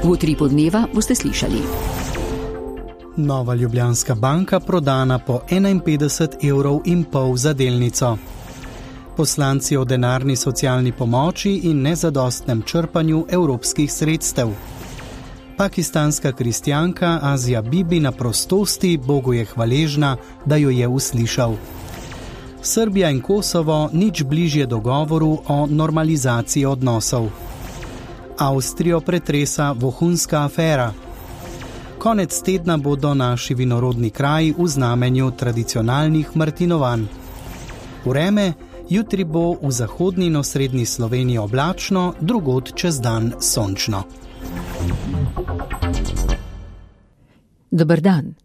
V Utripu dneva boste slišali. Nova Ljubljanska banka prodana po 51,5 € za delnico. Poslanci o denarni socialni pomoči in nezadostnem črpanju evropskih sredstev. Pakistanska kristjanka Azija Bibi na prostosti Bogu je hvaležna, da jo je uslišal. Srbija in Kosovo nič bližje dogovoru o normalizaciji odnosov. Avstrijo pretresa vohunska afera. Konec tedna bodo naši vinorodni kraji v znamenju tradicionalnih martinovanj. Vreme, jutri bo v zahodni in osrednji Sloveniji oblačno, drugod čez dan sončno. Dober dan.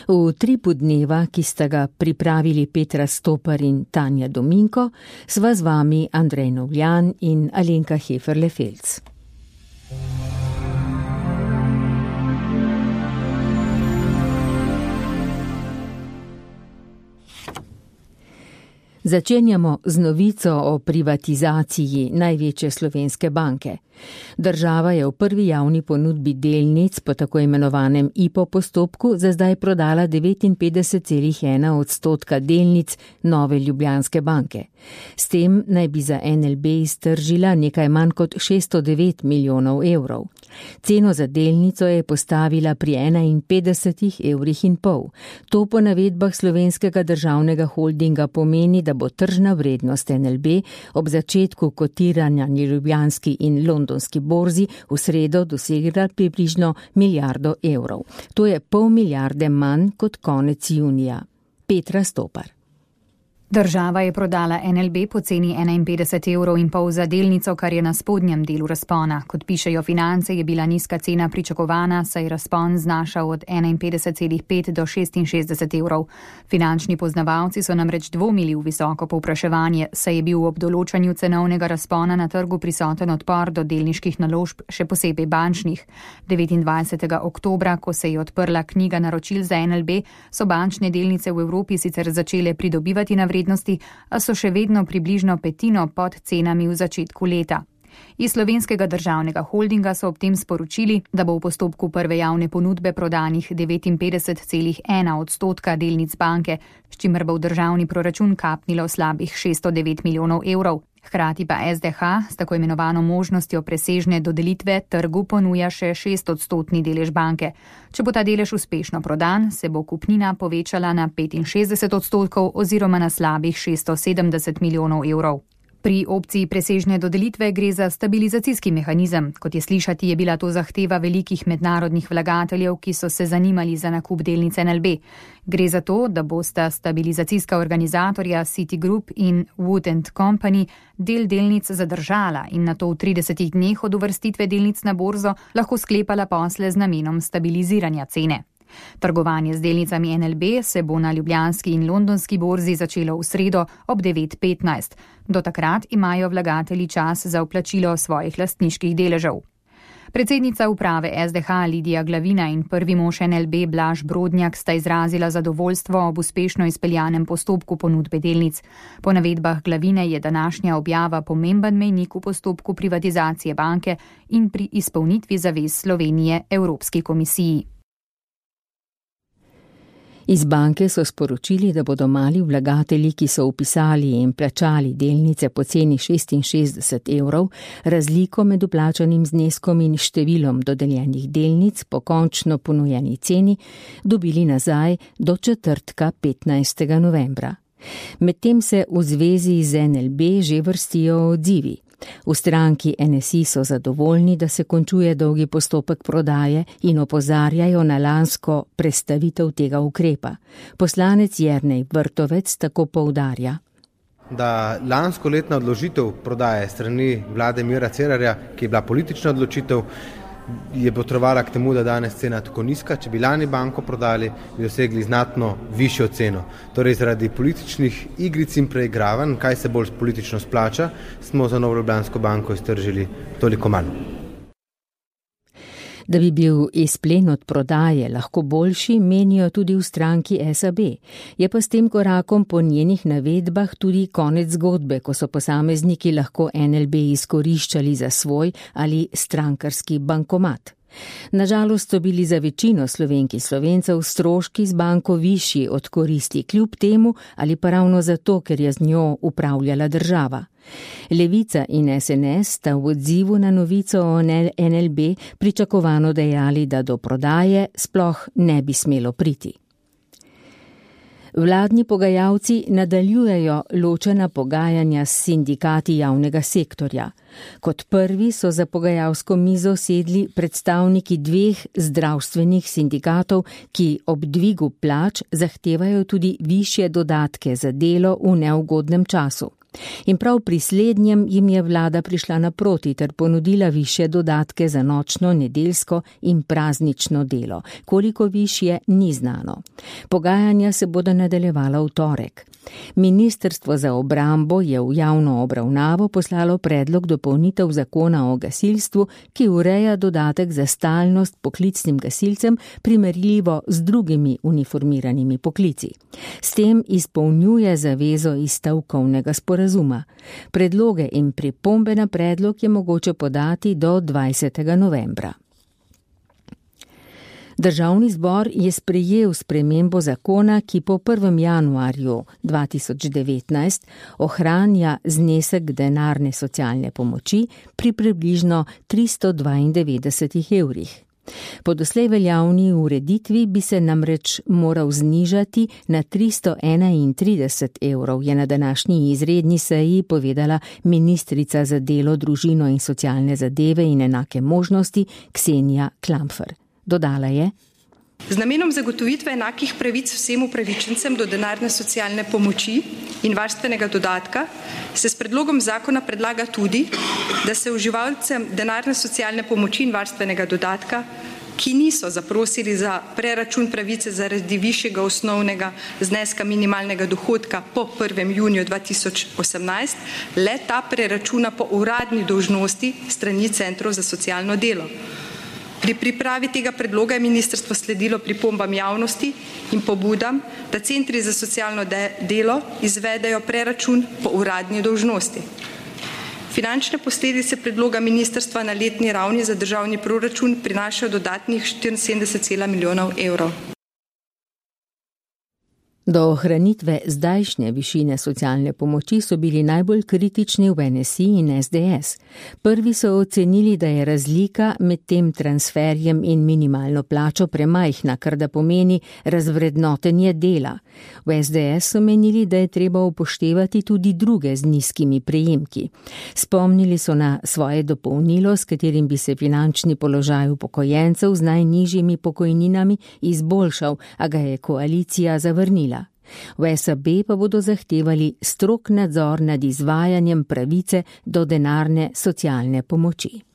V Utripu dneva, ki sta ga pripravili Petra Stopar in Tanja Dominko, sva z vami Andrej Novljan in Alenka Heferle-Felc. Začenjamo z novico o privatizaciji največje slovenske banke. Država je v prvi javni ponudbi delnic po tako imenovanem IPO postopku za zdaj prodala 59,1% delnic Nove Ljubljanske banke. S tem naj bi za NLB iztržila nekaj manj kot 609 milijonov evrov. Ceno za delnico je postavila pri 51,5 €. To po navedbah Slovenskega državnega holdinga pomeni, da bo tržna vrednost NLB ob začetku kotiranja na Ljubljanski in Londonski borzi v sredo dosegla približno milijardo evrov. To je pol milijarde manj kot konec junija. Petra Stopar. Država je prodala NLB po ceni 51,5 € za delnico, kar je na spodnjem delu razpona. Kot pišejo Finance, je bila nizka cena pričakovana, saj razpon znašal od 51,5 do 66 €. Finančni poznavalci so namreč dvomili v visoko povpraševanje, saj je bil ob določanju cenovnega razpona na trgu prisoten odpor do delniških naložb, še posebej bančnih. 29. oktobra, ko se je odprla knjiga naročil za NLB, so bančne delnice v Evropi sicer začele pridobivati na vrednosti, a so še vedno približno petino pod cenami v začetku leta. Iz Slovenskega državnega holdinga so ob tem sporočili, da bo v postopku prve javne ponudbe prodanih 59,1% delnic banke, s čimer bo v državni proračun kapnilo slabih 609 milijonov evrov. Hkrati pa SDH s tako imenovano možnostjo presežne dodelitve trgu ponuja še 6% delež banke. Če bo ta delež uspešno prodan, se bo kupnina povečala na 65% oziroma na slabih 670 milijonov evrov. Pri opciji presežne dodelitve gre za stabilizacijski mehanizem. Kot je slišati, je bila to zahteva velikih mednarodnih vlagateljev, ki so se zanimali za nakup delnic NLB. Gre za to, da bosta stabilizacijska organizatorja Citigroup in Wood & Company del delnic zadržala in nato v 30 dneh od uvrstitve delnic na borzo lahko sklepala posle z namenom stabiliziranja cene. Trgovanje z delnicami NLB se bo na Ljubljanski in Londonski borzi začelo v sredo ob 9:15. Do takrat imajo vlagatelji čas za vplačilo svojih lastniških deležev. Predsednica uprave SDH Lidija Glavina in prvi mož NLB Blaž Brodnjak sta izrazila zadovoljstvo ob uspešno izpeljanem postopku ponudbe delnic. Po navedbah Glavine je današnja objava pomemben mejnik v postopku privatizacije banke in pri izpolnitvi zavez Slovenije Evropski komisiji. Iz banke so sporočili, da bodo mali vlagatelji, ki so vpisali in plačali delnice po ceni 66 €, razliko med vplačanim zneskom in številom dodeljenih delnic po končno ponujeni ceni dobili nazaj do četrtka 15. novembra. Medtem se v zvezi z NLB že vrstijo odzivi. V stranki NSI so zadovoljni, da se končuje dolgi postopek prodaje in opozarjajo na lansko prestavitev tega ukrepa. Poslanec Jernej Vrtovec tako poudarja. Da lansko letna odložitev prodaje strani vlade Mira Cerarja, ki je bila politična odločitev, je potrebovala k temu, da danes cena tako nizka. Če bi lani banko prodali, bi dosegli znatno višjo ceno. Torej zaradi političnih igric in preigravanj, kaj se bolj politično splača, smo za Novo Ljubljansko banko iztržili toliko manj. Da bi bil izplen od prodaje lahko boljši, menijo tudi v stranki SAB. Je pa s tem korakom po njenih navedbah tudi konec zgodbe, ko so posamezniki lahko NLB izkoriščali za svoj ali strankarski bankomat. Nažalost so bili za večino Slovenk in Slovencev stroški z banko višji od koristi, kljub temu ali pa ravno zato, ker je z njo upravljala država. Levica in SNS sta v odzivu na novico o NLB pričakovano dejali, da do prodaje sploh ne bi smelo priti. Vladni pogajalci nadaljujejo ločena pogajanja s sindikati javnega sektorja. Kot prvi so za pogajalsko mizo sedli predstavniki dveh zdravstvenih sindikatov, ki ob dvigu plač zahtevajo tudi višje dodatke za delo v neugodnem času. In prav pri slednjem jim je vlada prišla naproti ter ponudila višje dodatke za nočno, nedeljsko in praznično delo. Koliko višje, ni znano. Pogajanja se bodo nadaljevala v torek. Ministrstvo za obrambo je v javno obravnavo poslalo predlog dopolnitev zakona o gasilstvu, ki ureja dodatek za stalnost poklicnim gasilcem primerljivo z drugimi uniformiranimi poklici. S tem izpolnjuje zavezo iz stavkovnega sporazuma. Predloge in pripombe na predlog je mogoče podati do 20. novembra. Državni zbor je sprejel spremembo zakona, ki po 1. januarju 2019 ohranja znesek denarne socialne pomoči pri približno 392 evrih. Po doslej veljavni ureditvi bi se namreč moral znižati na 331 evrov, je na današnji izredni seji povedala ministrica za delo, družino in socialne zadeve in enake možnosti Ksenija Klampfer. Dodala je: Z namenom zagotovitve enakih pravic vsem upravičencem do denarne socialne pomoči in varstvenega dodatka se s predlogom zakona predlaga tudi, da se uživalcem denarne socialne pomoči in varstvenega dodatka, ki niso zaprosili za preračun pravice zaradi višjega osnovnega zneska minimalnega dohodka po 1. juniju 2018, le ta preračuna po uradni dolžnosti strani centrov za socialno delo. Pri pripravi tega predloga je ministrstvo sledilo pripombam javnosti in pobudam, da centri za socialno delo izvedejo preračun po uradni dolžnosti. Finančne posledice predloga ministrstva na letni ravni za državni proračun prinašajo dodatnih 74,1 milijonov evrov. Do ohranitve zdajšnje višine socialne pomoči so bili najbolj kritični v NSI in SDS. Prvi so ocenili, da je razlika med tem transferjem in minimalno plačo premajhna, kar da pomeni razvrednotenje dela. V SDS so menili, da je treba upoštevati tudi druge z nizkimi prejemki. Spomnili so na svoje dopolnilo, s katerim bi se finančni položaj upokojencev z najnižjimi pokojninami izboljšal, a ga je koalicija zavrnila. V SAB pa bodo zahtevali strog nadzor nad izvajanjem pravice do denarne socialne pomoči.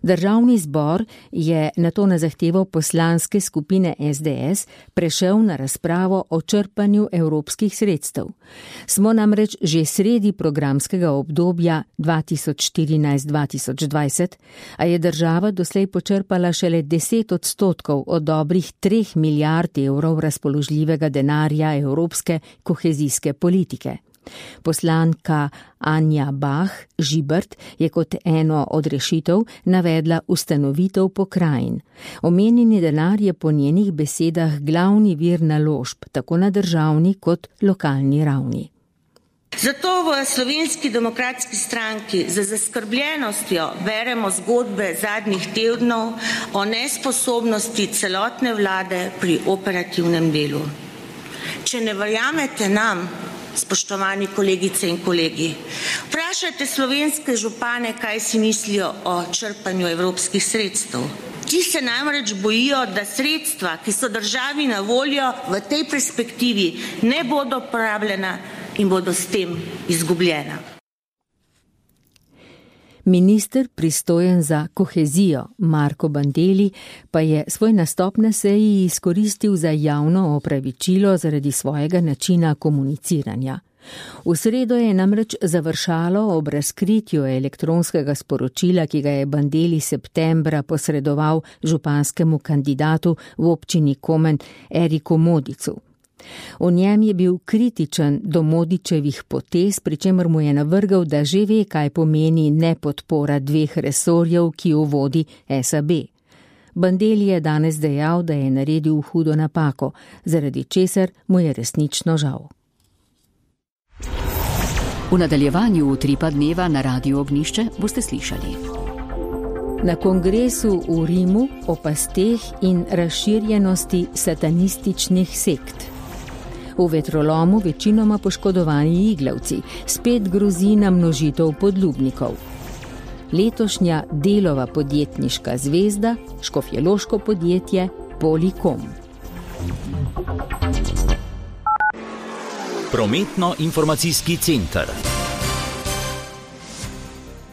Državni zbor je nato na zahtevo poslanske skupine SDS prešel na razpravo o črpanju evropskih sredstev. Smo namreč že sredi programskega obdobja 2014-2020, a je država doslej počrpala šele 10% od dobrih 3 milijard evrov razpoložljivega denarja evropske kohezijske politike. Poslanka Anja Bah Žibert je kot eno od rešitev navedla ustanovitev pokrajin. Omenjeni denar je po njenih besedah glavni vir naložb, tako na državni kot lokalni ravni. Zato v Slovenski demokratski stranki z zaskrbljenostjo beremo zgodbe zadnjih tednov o nesposobnosti celotne vlade pri operativnem delu. Če ne verjamete nam, spoštovani kolegice in kolegi, vprašajte slovenske župane, kaj si mislijo o črpanju evropskih sredstev. Ti se namreč bojijo, da sredstva, ki so državi na voljo, v tej perspektivi ne bodo porabljena in bodo s tem izgubljena. Minister pristojen za kohezijo Marko Bandelli pa je svoj nastop na seji izkoristil za javno opravičilo zaradi svojega načina komuniciranja. V sredo je namreč završalo ob razkritju elektronskega sporočila, ki ga je Bandelli septembra posredoval županskemu kandidatu v občini Komen Eriku Modicu. V njem je bil kritičen do Modičevih potez, pri čemer mu je navrgal, da že ve, kaj pomeni nepodpora dveh resorjev, ki jo vodi SAB. Bandelli je danes dejal, da je naredil hudo napako, zaradi česar mu je resnično žal. V nadaljevanju Utripa dneva na Radiu Ognjišče boste slišali. Na kongresu v Rimu o pasteh in razširjenosti satanističnih sekt. V vetrolomu večinoma poškodovani iglavci, spet grozi na množitev podlubnikov. Letošnja Delova podjetniška zvezda, škofjeloško podjetje Polikom. Prometno-informacijski center.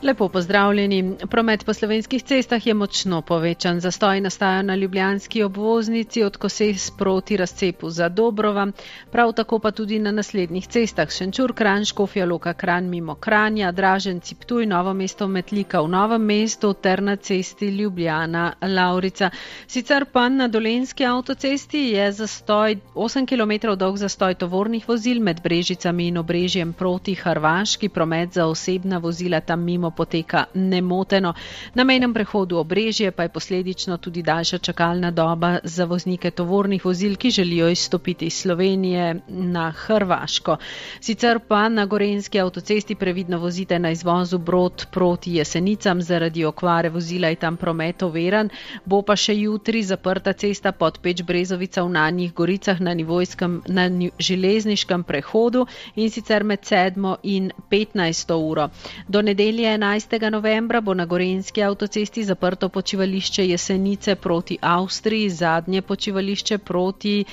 Lepo pozdravljeni. Promet po slovenskih cestah je močno povečan. Zastoji nastajajo na ljubljanski obvoznici od Koses proti razcepu za Dobrova, prav tako pa tudi na naslednjih cestah: Šenčur, Kranj, Škofja Loka, Kranj mimo Kranja, Draženci, Ptuj, Novo mesto, Metlika v Novem mestu ter na cesti Ljubljana, Lavrica. Sicer pa na Dolenjski avtocesti je zastoj 8 km dolg zastoj tovornih vozil med Brežicami in Obrežjem proti Hrvaški. Promet za osebna vozila tam mimo poteka nemoteno. Na mejnem prehodu Obrežje pa je posledično tudi daljša čakalna doba za voznike tovornih vozil, ki želijo izstopiti iz Slovenije na Hrvaško. Sicer pa na Gorenjski avtocesti previdno vozite na izvozu Brod proti Jesenicam, zaradi okvare vozila je tam promet oviran. Bo pa še jutri zaprta cesta Podpeč Brezovica v Nanjih Goricah na železniškem prehodu, in sicer med 7. in 15. uro. Do nedelje 11. novembra bo na Gorenjski avtocesti zaprto počivališče Jesenice proti Avstriji, zadnje počivališče proti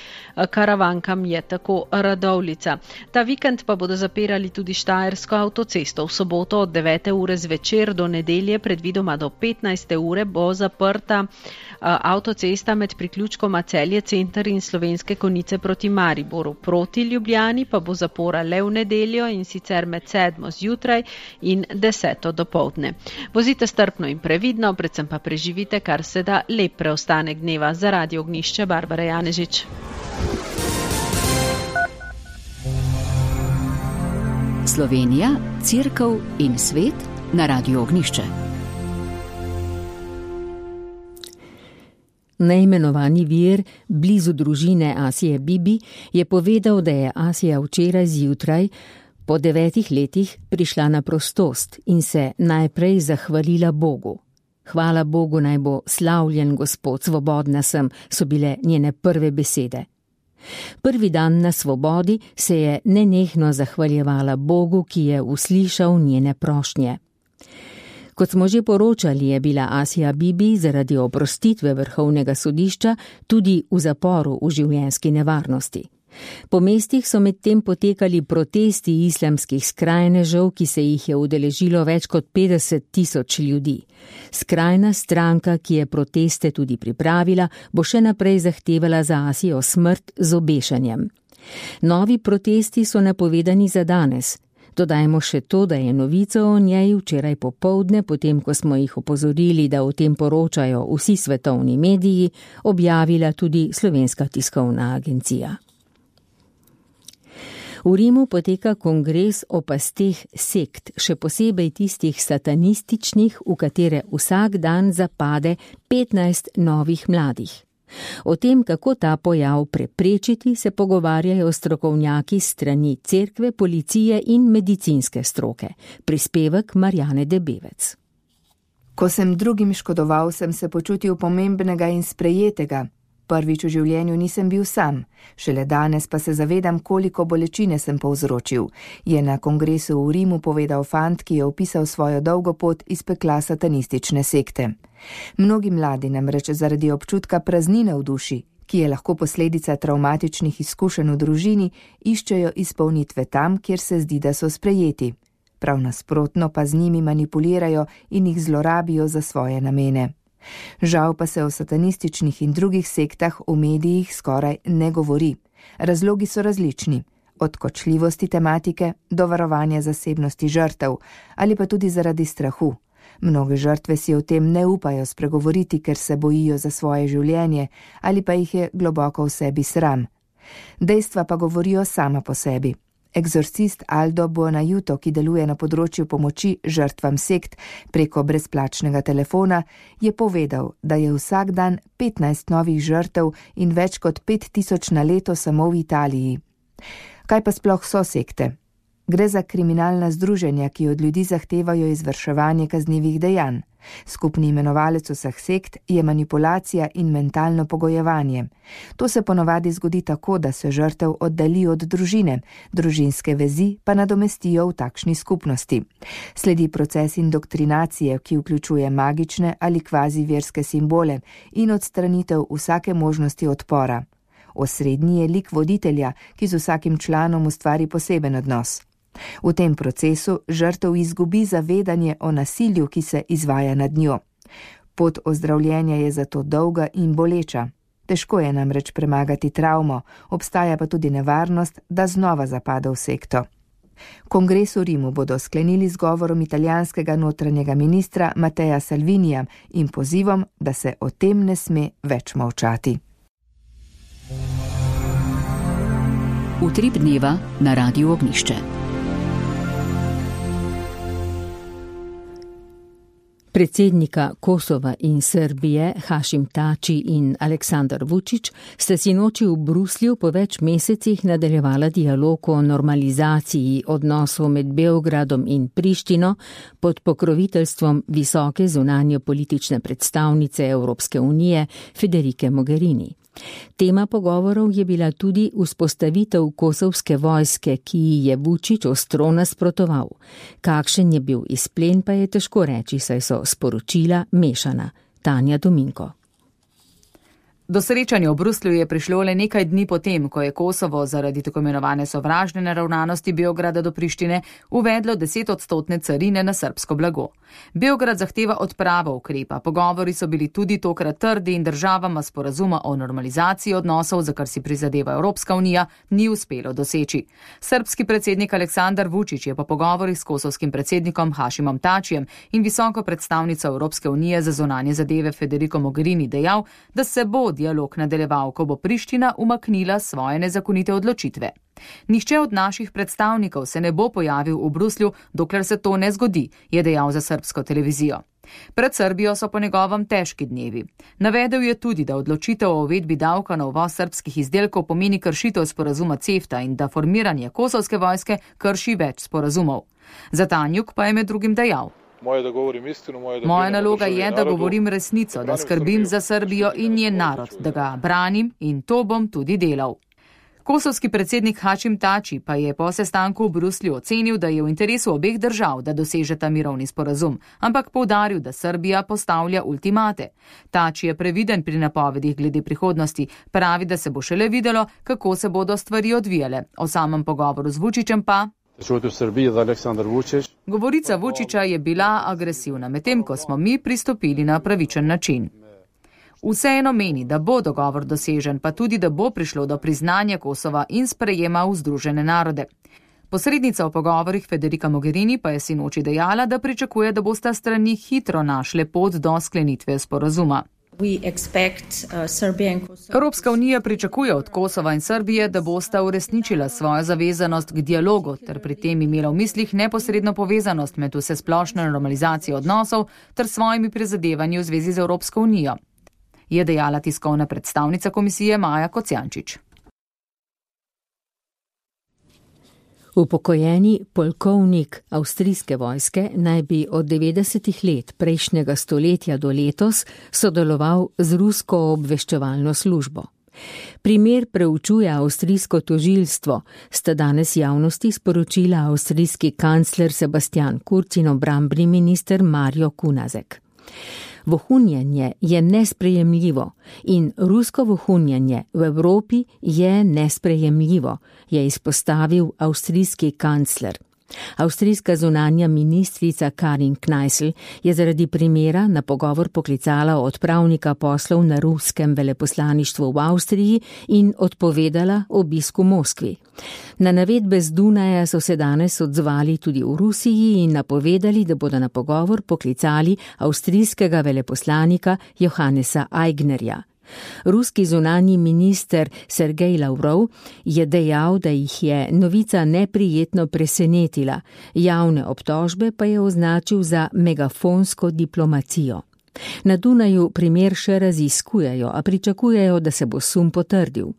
Karavankam je tako Radovljica. Ta vikend pa bodo zapirali tudi Štajersko avtocesto. V soboto od 9. ure zvečer do nedelje, predvidoma do 15. ure, bo zaprta avtocesta med priključkoma Celje center in Slovenske Konjice proti Mariboru. Proti Ljubljani pa bo zapora le v nedeljo, in sicer med 7. zjutraj in 10. dopoldne. Vozite strpno in previdno, predvsem pa preživite kar se da lep preostanek dneva. Za Radio Ognjišče Barbara Janežič. Slovenija, Cerkev in svet na Radiu Ognjišče. Neimenovani vir blizu družine Asije Bibi je povedal, da je Asija včeraj zjutraj po 9 letih prišla na prostost in se najprej zahvalila Bogu. Hvala Bogu naj bo slavljen Gospod, svobodna sem, so bile njene prve besede. Prvi dan na svobodi se je nenehno zahvaljevala Bogu, ki je uslišal njene prošnje. Kot smo že poročali, je bila Asija Bibi zaradi oprostitve Vrhovnega sodišča tudi v zaporu v življenjski nevarnosti. Po mestih so medtem potekali protesti islamskih skrajnežev, ki se jih je udeležilo več kot 50.000 ljudi. Skrajna stranka, ki je proteste tudi pripravila, bo še naprej zahtevala za Asijo smrt z obešanjem. Novi protesti so napovedani za danes. Dodajmo še to, da je novico o njej včeraj popoldne, potem ko smo jih opozorili, da o tem poročajo vsi svetovni mediji, objavila tudi Slovenska tiskovna agencija. V Rimu poteka kongres o pasteh sekt, še posebej tistih satanističnih, v katere vsak dan zapade 15 novih mladih. O tem, kako ta pojav preprečiti, se pogovarjajo strokovnjaki s strani cerkve, policije in medicinske stroke. Prispevek Marjane Debevec. Ko sem drugim škodoval, sem se počutil pomembnega in sprejetega. Prvič v življenju nisem bil sam, šele danes pa se zavedam, koliko bolečine sem povzročil, je na kongresu v Rimu povedal fant, ki je opisal svojo dolgo pot iz pekla satanistične sekte. Mnogi mladi namreč zaradi občutka praznine v duši, ki je lahko posledica travmatičnih izkušenj v družini, iščejo izpolnitve tam, kjer se zdi, da so sprejeti. Prav nasprotno pa z njimi manipulirajo in jih zlorabijo za svoje namene. Žal pa se o satanističnih in drugih sektah v medijih skoraj ne govori. Razlogi so različni, od kočljivosti tematike do varovanja zasebnosti žrtev ali pa tudi zaradi strahu. Mnoge žrtve si o tem ne upajo spregovoriti, ker se bojijo za svoje življenje ali pa jih je globoko v sebi sram. Dejstva pa govorijo sama po sebi. Eksorcist Aldo Buonajuto, ki deluje na področju pomoči žrtvam sekt preko brezplačnega telefona, je povedal, da je vsak dan 15 novih žrtev in več kot 5000 na leto samo v Italiji. Kaj pa sploh so sekte? Gre za kriminalna združenja, ki od ljudi zahtevajo izvrševanje kaznivih dejanj. Skupni imenovalec vseh sekt je manipulacija in mentalno pogojevanje. To se ponavadi zgodi tako, da se žrtev oddalji od družine, družinske vezi pa nadomestijo v takšni skupnosti. Sledi proces indoktrinacije, ki vključuje magične ali kvazi verske simbole in odstranitev vsake možnosti odpora. Osrednji je lik voditelja, ki z vsakim članom ustvari poseben odnos. V tem procesu žrtev izgubi zavedanje o nasilju, ki se izvaja nad njo. Pot ozdravljenja je zato dolga in boleča. Težko je namreč premagati travmo, obstaja pa tudi nevarnost, da znova zapada v sekto. Kongres v Rimu bodo sklenili z govorom italijanskega notranjega ministra Mattea Salvinija in pozivom, da se o tem ne sme več molčati. Utrip dneva na Radiu Ognjišče. Predsednika Kosova in Srbije Hašim Tači in Aleksandar Vučić sta sinoči v Bruslju po več mesecih nadaljevala dialog o normalizaciji odnosov med Beogradom in Prištino pod pokroviteljstvom visoke zunanjepolitične predstavnice Evropske unije Federike Mogherini. Tema pogovorov je bila tudi vzpostavitev kosovske vojske, ki ji je Vučić ostro nasprotoval. Kakšen je bil izplen, pa je težko reči, saj so sporočila mešana. Tanja Dominko. Do srečanja v Bruslju je prišlo le nekaj dni potem, ko je Kosovo zaradi tako imenovane sovražne naravnanosti Beograda do Prištine uvedlo 10% carine na srbsko blago. Beograd zahteva odpravo ukrepa, pogovori so bili tudi tokrat trdi in državama sporazuma o normalizaciji odnosov, za kar si prizadeva Evropska unija, ni uspelo doseči. Srbski predsednik Aleksandar Vučić je po pogovorih s kosovskim predsednikom Hašimom Tačijem in visoko predstavnico Evropske unije za zunanje zadeve Federico Mogherini dejal, da se bo dialog nadaljeval, ko bo Priština umaknila svoje nezakonite odločitve. Nihče od naših predstavnikov se ne bo pojavil v Bruslju, dokler se to ne zgodi, je dejal za srbsko televizijo. Pred Srbijo so po njegovem težki dnevi. Navedel je tudi, da odločitev o uvedbi davka na uvoz srbskih izdelkov pomeni kršitev sporazuma CEFTA in da formiranje kosovske vojske krši več sporazumov. Za Tanjuk pa je med drugim dejal: Moja naloga je, da govorim resnico, da skrbim za Srbijo in njen narod, da ga branim in to bom tudi delal. Kosovski predsednik Hašim Tači pa je po sestanku v Bruslju ocenil, da je v interesu obeh držav, da dosežeta mirovni sporazum, ampak poudaril, da Srbija postavlja ultimate. Tači je previden pri napovedih glede prihodnosti, pravi, da se bo šele videlo, kako se bodo stvari odvijale. O samem pogovoru z Vučićem pa: Govorica Vučića je bila agresivna, medtem ko smo mi pristopili na pravičen način. Vseeno meni, da bo dogovor dosežen, pa tudi, da bo prišlo do priznanja Kosova in sprejema v Združene narode. Posrednica v pogovorih Federica Mogherini pa je sinoči dejala, da pričakuje, da bosta strani hitro našle pot do sklenitve sporazuma. Evropska unija pričakuje od Kosova in Srbije, da bosta uresničila svojo zavezanost k dialogu ter pri tem imela v mislih neposredno povezanost med vsesplošno normalizacijo odnosov ter svojimi prizadevanji v zvezi z Evropsko unijo, je dejala tiskovna predstavnica komisije Maja Kocijančič. Upokojeni polkovnik avstrijske vojske naj bi od 90. let prejšnjega stoletja do letos sodeloval z rusko obveščevalno službo. Primer preučuje avstrijsko tožilstvo, sta danes javnosti sporočila avstrijski kancler Sebastian Kurz in obrambni minister Mario Kunazek. Vohunjenje je nesprejemljivo in rusko vohunjenje v Evropi je nesprejemljivo, je izpostavil avstrijski kancler. Avstrijska zunanja ministrica Karin Kneißl je zaradi primera na pogovor poklicala odpravnika poslov na ruskem veleposlaništvu v Avstriji in odpovedala obisk v Moskvi. Na navedbe z Dunaja so se danes odzvali tudi v Rusiji in napovedali, da bodo na pogovor poklicali avstrijskega veleposlanika Johannesa Aignerja. Ruski zunanji minister Sergej Lavrov je dejal, da jih je novica neprijetno presenetila, javne obtožbe pa je označil za megafonsko diplomacijo. Na Dunaju primer še raziskujejo, a pričakujejo, da se bo sum potrdil.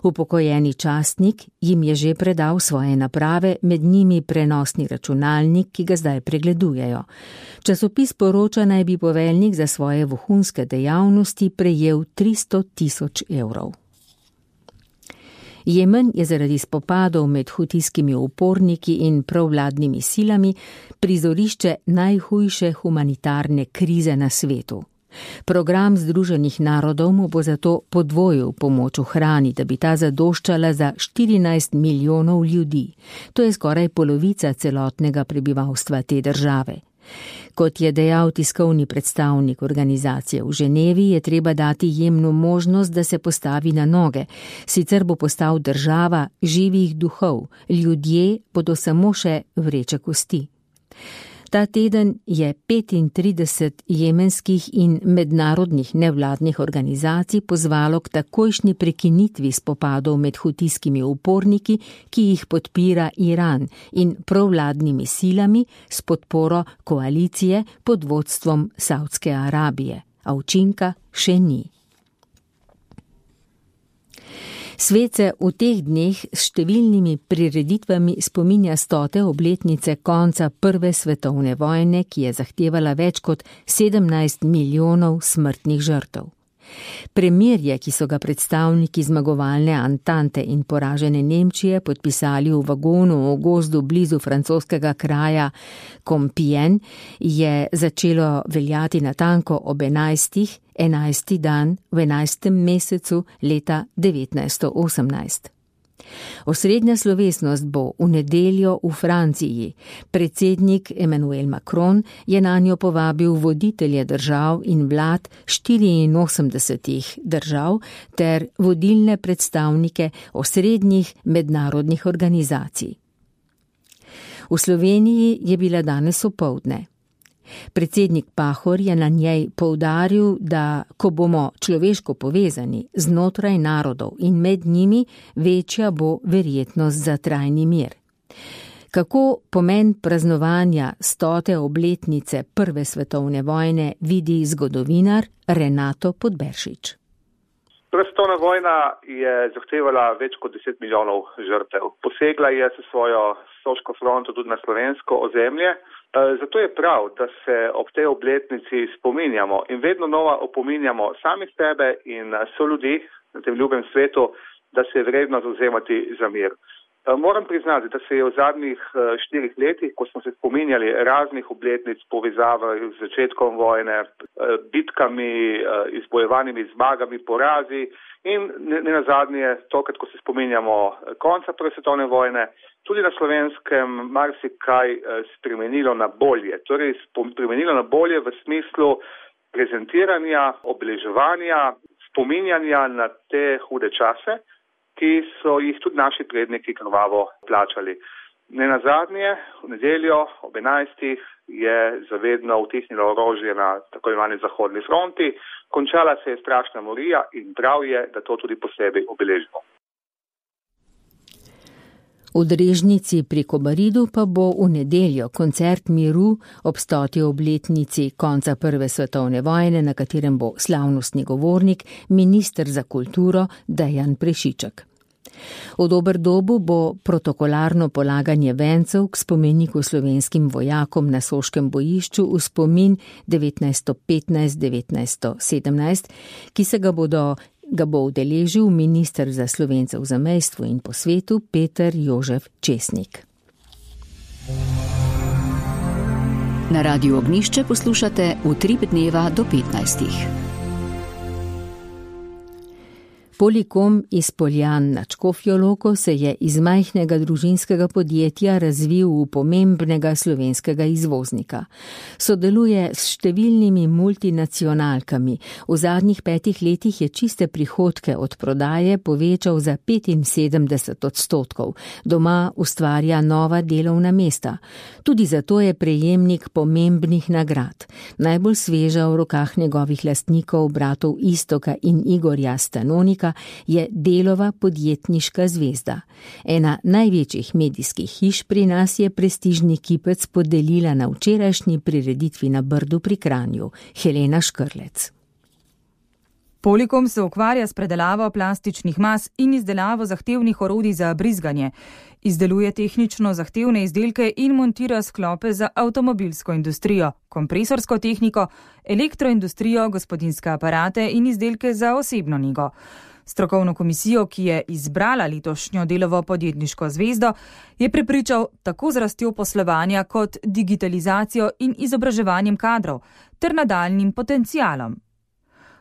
Upokojeni častnik jim je že predal svoje naprave, med njimi prenosni računalnik, ki ga zdaj pregledujejo. Časopis poroča, naj bi poveljnik za svoje vohunske dejavnosti prejel 300.000 evrov. Jemen je zaradi spopadov med hutijskimi uporniki in provladnimi silami prizorišče najhujše humanitarne krize na svetu. Program Združenih narodov mu bo zato podvojil pomoč v hrani, da bi ta zadoščala za 14 milijonov ljudi. To je skoraj polovica celotnega prebivalstva te države. Kot je dejal tiskovni predstavnik organizacije v Ženevi, je treba dati Jemnu možnost, da se postavi na noge, sicer bo postal država živih duhov, ljudje bodo samo še vreče kosti. Ta teden je 35 jemenskih in mednarodnih nevladnih organizacij pozvalo k takojšnji prekinitvi spopadov med hutijskimi uporniki, ki jih podpira Iran, in provladnimi silami s podporo koalicije pod vodstvom Saudske Arabije, a učinka še ni. Svet se v teh dneh s številnimi prireditvami spominja 100. obletnice konca Prve svetovne vojne, ki je zahtevala več kot 17 milijonov smrtnih žrtev. Premirje, ki so ga predstavniki zmagovalne Antante in poražene Nemčije podpisali v vagonu v gozdu blizu francoskega kraja Compiègne, je začelo veljati natanko ob 11. dan v 11. mesecu leta 1918. Osrednja slovesnost bo v nedeljo v Franciji. Predsednik Emmanuel Macron je nanjo povabil voditelje držav in vlad 84 držav ter vodilne predstavnike osrednjih mednarodnih organizacij. V Sloveniji je bila danes opoldne. Predsednik Pahor je na njej poudaril, da ko bomo človeško povezani znotraj narodov in med njimi, večja bo verjetnost za trajni mir. Kako pomen praznovanja 100. obletnice Prve svetovne vojne vidi zgodovinar Renato Podberšič? Prva svetovna vojna je zahtevala več kot 10 milijonov žrtev. Posegla je s svojo soško fronto tudi na slovensko ozemlje. Zato je prav, da se ob tej obletnici spominjamo in vedno nova opominjamo sami sebe in soljudi na tem ljubem svetu, da se je vredno zavzemati za mir. Moram priznati, da se je v zadnjih 4 letih, ko smo se spominjali raznih obletnic povezave z začetkom vojne, bitkami, izbojevanimi zmagami, porazi in ne nazadnje tokrat, ko se spominjamo konca Prve svetovne vojne, tudi na Slovenskem marsikaj spremenilo na bolje. Torej spremenilo na bolje v smislu prezentiranja, obeleževanja, spominjanja na te hude čase, ki so jih tudi naši predniki krvavo plačali. Ne nazadnje, v nedeljo ob 11. je zavedno utihnilo orožje na tako imenovani zahodni fronti, končala se je strašna morija in prav je, da to tudi posebej obeležimo. V Drežnici pri Kobaridu pa bo v nedeljo koncert miru ob 100. obletnici konca Prve svetovne vojne, na katerem bo slavnostni govornik, minister za kulturo Dejan Prešiček. V Doberdobu bo protokolarno polaganje vencev k spomeniku slovenskim vojakom na Soškem bojišču v spomin 1915-1917, ki se ga bo udeležil minister za Slovence v zamejstvu in po svetu Peter Jožef Česnik. Na Radiu Ognjišče poslušate Utrip dneva do 15. Polikom iz Poljan na Škofjo Loko se je iz majhnega družinskega podjetja razvil v pomembnega slovenskega izvoznika. Sodeluje s številnimi multinacionalkami. V zadnjih 5 letih je čiste prihodke od prodaje povečal za 75%. Doma ustvarja nova delovna mesta. Tudi zato je prejemnik pomembnih nagrad. Najbolj sveža v rokah njegovih lastnikov, bratov Iztoka in Igorja Stanonika, je Delova podjetniška zvezda. Ena največjih medijskih hiš pri nas je prestižni kipec podelila na včerajšnji prireditvi na Brdu pri Kranju, Helena Škrlec. Polikom se ukvarja s predelavo plastičnih mas in izdelavo zahtevnih orodij za brizganje. Izdeluje tehnično zahtevne izdelke in montira sklope za avtomobilsko industrijo, kompresorsko tehniko, elektroindustrijo, gospodinjske aparate in izdelke za osebno nego. Strokovno komisijo, ki je izbrala letošnjo Delovo podjetniško zvezdo, je prepričal tako z rastjo poslovanja kot digitalizacijo in izobraževanjem kadrov ter nadaljnjim potencialom.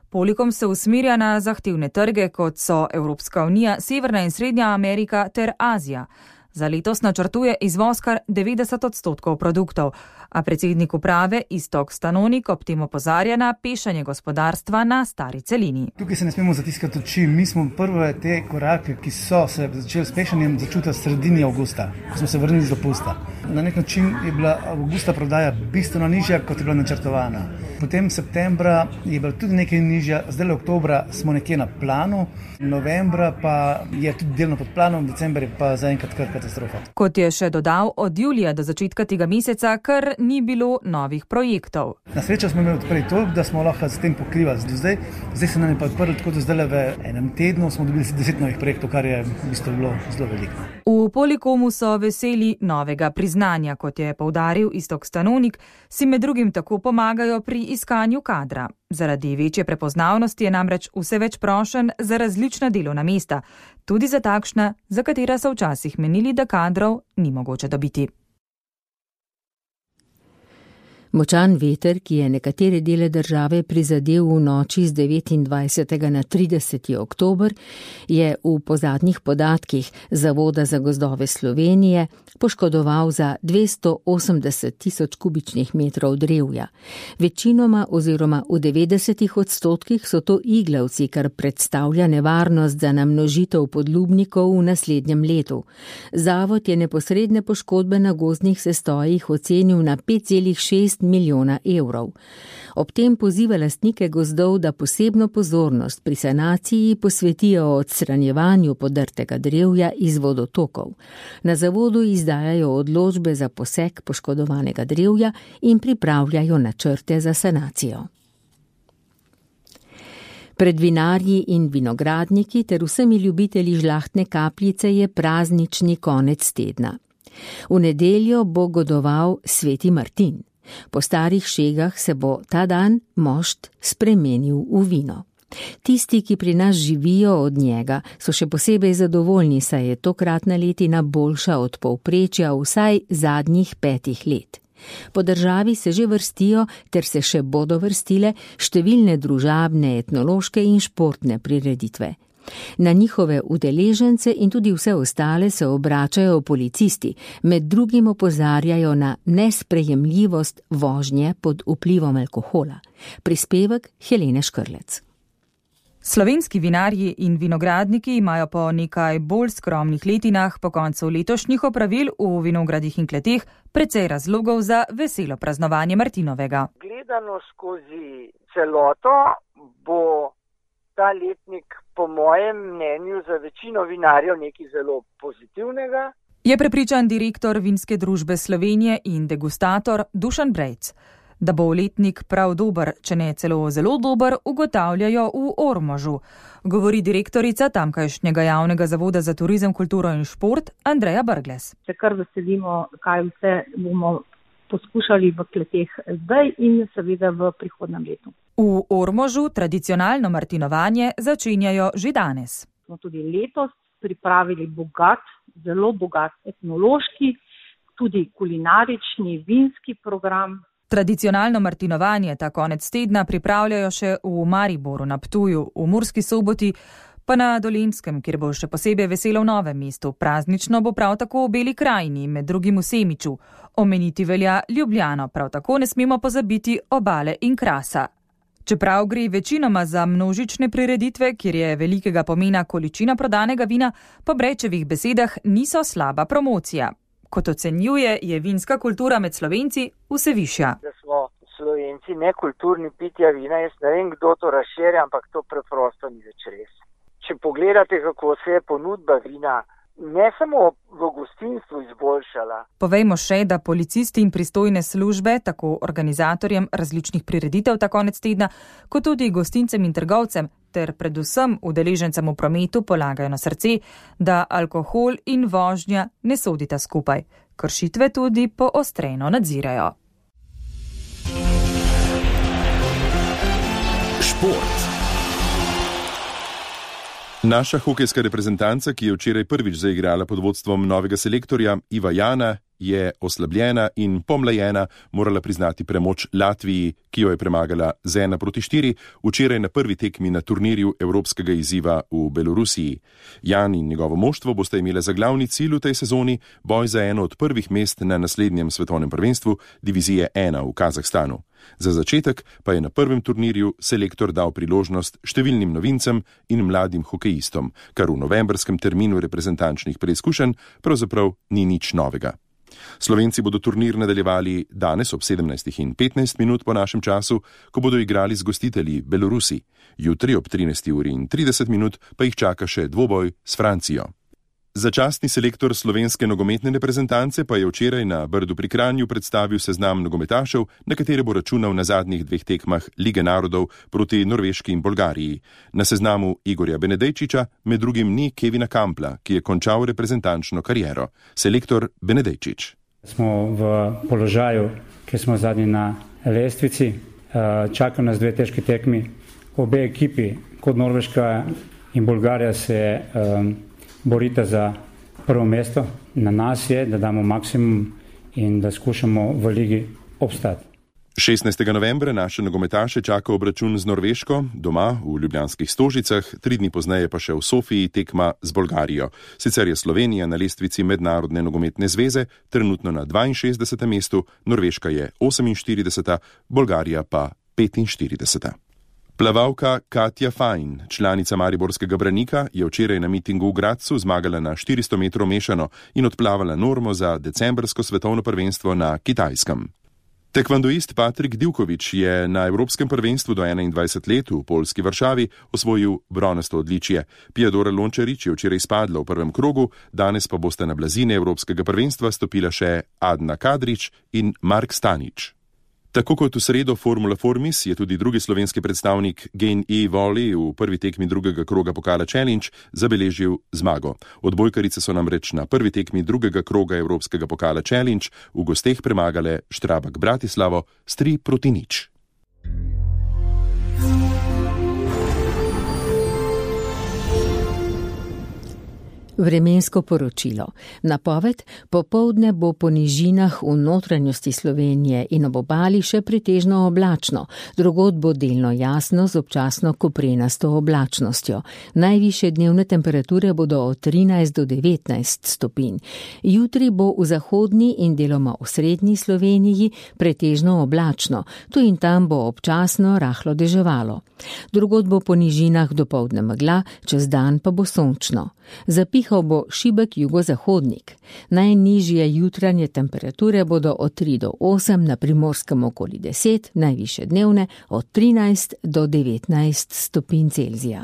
Polikom se usmerja na zahtevne trge, kot so Evropska unija, Severna in Srednja Amerika ter Azija. Za letos načrtuje izvoz kar 90% produktov, a predsednik uprave Iztok Stanonik ob tem opozarja na pešanje gospodarstva na stari celini. Tukaj se ne smemo zatiskati oči. Mi smo prve te korake, ki so se začeli s pešanjem, začutili sredini avgusta, ko smo se vrnili z dopusta. Na nek način je bila avgusta prodaja bistveno nižja, kot je bila načrtovana. Potem septembra je bila tudi nekaj nižja, zdaj oktobra smo nekje na planu, novembra pa je tudi delno pod planom, december je pa zaenkrat kar katastrofa. Kot je še dodal, od julija do začetka tega meseca kar ni bilo novih projektov. Na srečo smo imeli odprej to, da smo lahko s tem pokrivali zdaj se nam je pa odprlo tako, da zdaj v enem tednu smo dobili 10 novih projektov, kar je v bistvu bilo zelo veliko. V Polikomu so veseli novega priznanja, kot je poudaril Iztok Stanonik, si med drugim tako pomagajo pri iskanju kadra. Zaradi večje prepoznavnosti je namreč vse več prošenj za različna delovna mesta, tudi za takšna, za katera so včasih menili, da kadrov ni mogoče dobiti. Močan veter, ki je nekatere dele države prizadel v noči z 29. na 30. oktober, je po zadnjih podatkih Zavoda za gozdove Slovenije poškodoval za 280.000 kubičnih metrov drevja. Večinoma oziroma v 90% so to iglavci, kar predstavlja nevarnost za namnožitev podlubnikov v naslednjem letu. Zavod je neposredne poškodbe na gozdnih sestojih ocenil na 5,6 milijona evrov. Ob tem poziva lastnike gozdov, da posebno pozornost pri sanaciji posvetijo odstranjevanju podrtega drevja iz vodotokov. Na zavodu izdajajo odločbe za posek poškodovanega drevja in pripravljajo načrte za sanacijo. Pred vinarji in vinogradniki ter vsemi ljubitelji žlahtne kapljice je praznični konec tedna. V nedeljo bo godoval Sveti Martin. Po starih šegah se bo ta dan mošt spremenil v vino. Tisti, ki pri nas živijo od njega, so še posebej zadovoljni, saj je tokratna letina boljša od povprečja vsaj zadnjih 5 let. Po državi se že vrstijo, ter se še bodo vrstile, številne družabne, etnološke in športne prireditve. Na njihove udeležence in tudi vse ostale se obračajo policisti, med drugim opozarjajo na nesprejemljivost vožnje pod vplivom alkohola. Prispevek Helene Škrlec. Slovenski vinarji in vinogradniki imajo po nekaj bolj skromnih letinah po koncu letošnjih opravil v vinogradih in kleteh precej razlogov za veselo praznovanje Martinovega. Gledano skozi celoto bo ta letnik po mojem mnenju za večino vinarjev nekaj zelo pozitivnega. Je prepričan direktor Vinske družbe Slovenije in degustator Dušan Brejc. Da bo letnik prav dober, če ne celo zelo dober, ugotavljajo v Ormožu, govori direktorica tamkajšnjega javnega zavoda za turizem, kulturo in šport Andreja Brglez. Se kar veselimo, kaj vse bomo poskušali v kleteh zdaj in seveda v prihodnem letu. V Ormožu tradicionalno martinovanje začenjajo že danes. Smo tudi letos pripravili zelo bogat etnološki, tudi kulinarični, vinski program. Tradicionalno martinovanje ta konec tedna pripravljajo še v Mariboru, na Ptuju, v Murski Soboti, pa na Dolenjskem, kjer bo še posebej veselo v Novem mestu. Praznično bo prav tako v Beli krajini, med drugim v Semiču. Omeniti velja Ljubljano, prav tako ne smemo pozabiti Obale in Krasa. Čeprav gre večinoma za množične prireditve, kjer je velikega pomena količina prodanega vina, po Brečevih besedah niso slaba promocija. Kot ocenjuje, je vinska kultura med Slovenci vse višja. Da smo Slovenci nekulturni pitja vina, jaz ne vem, kdo to razširja, ampak to preprosto ni več res. Če pogledate, kako se je ponudba vina ne samo v gostinstvu izboljšala. Povejmo še, da policisti in pristojne službe, tako organizatorjem različnih prireditev ta konec tedna, kot tudi gostincem in trgovcem, ter predvsem udeležencem v prometu polagajo na srce, da alkohol in vožnja ne sodita skupaj. Kršitve tudi poostreno nadzirajo. Šport. Naša hokejska reprezentanca, ki je včeraj prvič zaigrala pod vodstvom novega selektorja Iva Jana, je oslabljena in pomlajena morala priznati premoč Latviji, ki jo je premagala z 1-4 včeraj na prvi tekmi na turnirju evropskega izziva v Belorusiji. Jan in njegovo moštvo boste imeli za glavni cilj v tej sezoni boj za eno od prvih mest na naslednjem svetovnem prvenstvu divizije 1 v Kazahstanu. Za začetek pa je na prvem turnirju selektor dal priložnost številnim novincem in mladim hokejistom, kar v novembrskem terminu reprezentančnih preizkušenj pravzaprav ni nič novega. Slovenci bodo turnir nadaljevali danes ob 17:15 po našem času, ko bodo igrali z gostitelji Belorusi. Jutri ob 13:30 pa jih čaka še dvoboj s Francijo. Začasni selektor slovenske nogometne reprezentance pa je včeraj na Brdu pri Kranju predstavil seznam nogometašev, na katere bo računal na zadnjih 2 tekmah Lige narodov proti Norveški in Bolgariji. Na seznamu Igorja Benedejčiča med drugim ni Kevina Kampla, ki je končal reprezentančno kariero. Selektor Benedejčič. Smo v položaju, kjer smo zadnji na lestvici. Čakajo nas 2 težki tekmi. Obe ekipi, kot Norveška in Bolgarija, se borite za prvo mesto. Na nas je, da damo maksimum in da skušamo v ligi obstati. 16. novembra naše nogometaše čaka obračun z Norveško, doma v Ljubljanskih Stožicah, 3 dni pozneje pa še v Sofiji tekma z Bolgarijo. Sicer je Slovenija na lestvici Mednarodne nogometne zveze trenutno na 62. mestu, Norveška je 48., Bolgarija pa 45. Plavalka Katja Fajn, članica mariborskega Branika, je včeraj na mitingu v Gradcu zmagala na 400 metrov mešano in odplavala normo za decembrsko svetovno prvenstvo na Kitajskem. Tekvandoist Patrik Divković je na Evropskem prvenstvu do 21 let v poljski Varšavi osvojil bronasto odličje. Pijadora Lončarič je včeraj spadla v prvem krogu, danes pa boste na blazine Evropskega prvenstva stopila še Adna Kadrić in Mark Stanič. Tako kot v sredo Formula Formis je tudi drugi slovenski predstavnik Gain E. Volley v prvi tekmi drugega kroga pokala Challenge zabeležil zmago. Odbojkarice so namreč na prvi tekmi drugega kroga Evropskega pokala Challenge v gosteh premagale Štrabak Bratislavo s 3-0. Vremensko poročilo. Napoved: popoldne bo po nižinah v notranjosti Slovenije in ob obali še pretežno oblačno, drugod bo delno jasno z občasno koprenasto oblačnostjo. Najvišje dnevne temperature bodo od 13 do 19 stopinj. Jutri bo v zahodni in deloma v srednji Sloveniji pretežno oblačno, tu in tam bo občasno rahlo deževalo. Drugod bo po nižinah dopoldne megla, čez dan pa bo sončno. Zapihal bo šibek jugozahodnik. Najnižje jutranje temperature bodo od 3 do 8, na Primorskem okoli 10, najvišje dnevne od 13 do 19 stopinj Celzija.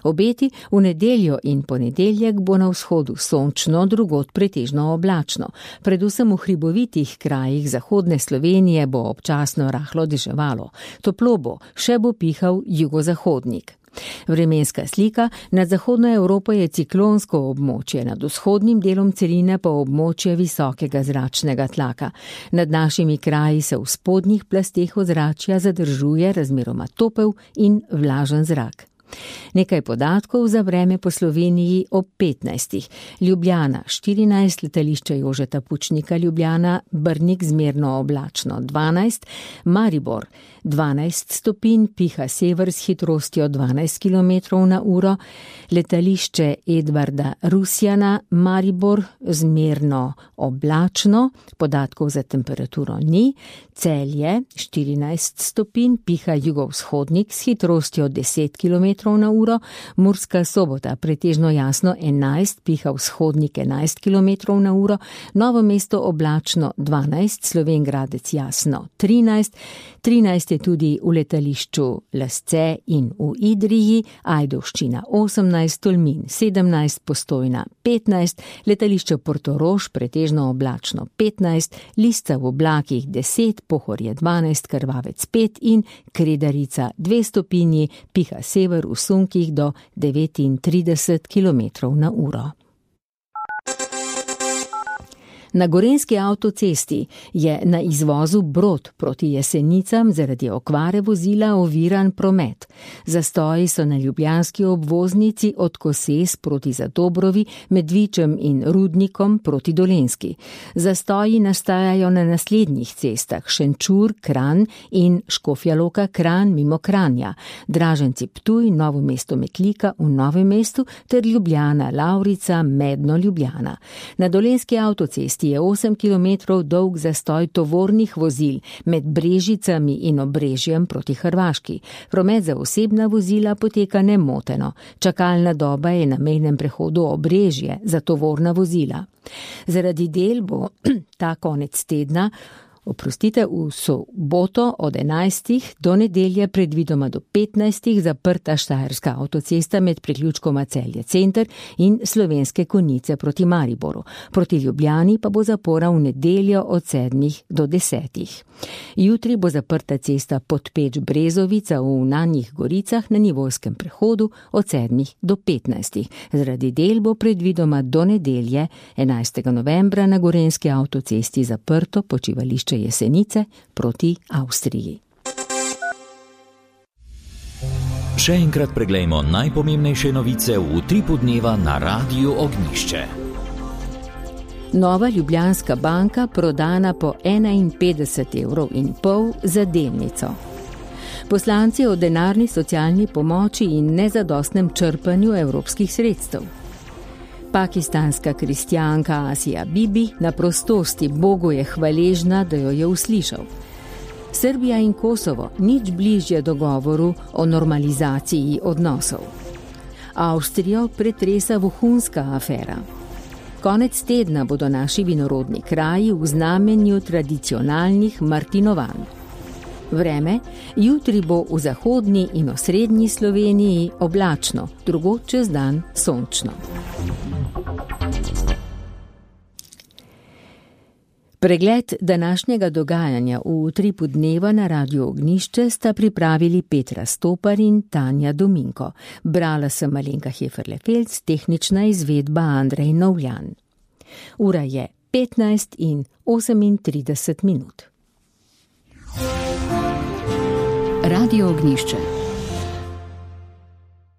Obeti: v nedeljo in ponedeljek bo na vzhodu sončno, drugod pretežno oblačno. Predvsem v hribovitih krajih zahodne Slovenije bo občasno rahlo deževalo. Toplo bo, še bo pihal jugozahodnik. Vremenska slika: nad zahodno Evropo je ciklonsko območje, nad vzhodnim delom celine pa območje visokega zračnega tlaka. Nad našimi kraji se v spodnjih plasteh ozračja zadržuje razmeroma topel in vlažen zrak. Nekaj podatkov za vreme po Sloveniji ob 15. Ljubljana 14, letališče Jožeta Pučnika Ljubljana, Brnik zmerno oblačno 12, Maribor 12 stopinj, piha sever s hitrostjo 12 km/h, letališče Edvarda Rusjana, Maribor zmerno oblačno, podatkov za temperaturo ni, Celje 14 stopinj, piha jugovzhodnik s hitrostjo 10 km/h, Murska Sobota pretežno jasno 11, piha vzhodnik 11 km/h, Novo mesto oblačno 12, Slovenj Gradec jasno 13 je tudi v letališču Lasce in v Idriji, Ajdovščina 18, Tolmin 17, Postojna 15, letališče Portorož pretežno oblačno 15, Lisca v oblakih 10, Pohorje 12, Krvavec 5 in Kredarica 2 stopinji, piha sever v sunkih do 39 km/h. Na Gorenjski avtocesti je na izvozu Brod proti Jesenicam zaradi okvare vozila oviran promet. Zastoji so na ljubljanski obvoznici od Koses proti Zadobrovi, med Vičem in Rudnikom proti Dolenjski. Zastoji nastajajo na naslednjih cestah: Šenčur, Kranj in Škofja Loka, Kranj mimo Kranja, Draženci Ptuj, Novo mesto Metlika v Novem mestu ter Ljubljana, Lavrica, Medno, Ljubljana. Na Dolenjski avtocesti je 8 km dolg zastoj tovornih vozil med Brežicami in Obrežjem proti Hrvaški. Promet za osebna vozila poteka nemoteno. Čakalna doba je na mejnem prehodu Obrežje za tovorna vozila. Zaradi del bo ta konec tedna, v soboto od 11. do nedelje predvidoma do 15. zaprta Štajerska avtocesta med priključkoma Celje Center in Slovenske Konjice proti Mariboru. Proti Ljubljani pa bo zapora v nedeljo od 7. do 10. Jutri bo zaprta cesta Podpeč Brezovica v Nanjih Goricah na nivojskem prehodu od 7. do 15. Zaradi del bo predvidoma do nedelje 11. novembra na Gorenjski avtocesti zaprto počivališče Jesenice proti Avstriji. Še enkrat preglejmo najpomembnejše novice v utripu dneva na Radiu Ognjišče. Nova Ljubljanska banka prodana po 51,5 € za delnico. Poslanci o denarni socialni pomoči in nezadostnem črpanju evropskih sredstev. Pakistanska kristjanka Asija Bibi na prostosti Bogu je hvaležna, da jo je uslišal. Srbija in Kosovo nič bližje dogovoru o normalizaciji odnosov. Avstrijo pretresa vohunska afera. Konec tedna bodo naši vinorodni kraji v znamenju tradicionalnih martinovanj. Vreme, jutri bo v zahodni in osrednji Sloveniji oblačno, drugod čez dan sončno. Pregled današnjega dogajanja v utripu dneva na Radiu Ognjišče sta pripravili Petra Stopar in Tanja Dominko. Brala sem Alenka Heferle-Felc, tehnična izvedba Andrej Novljan. Ura je 15:38. Radio Ognjišče.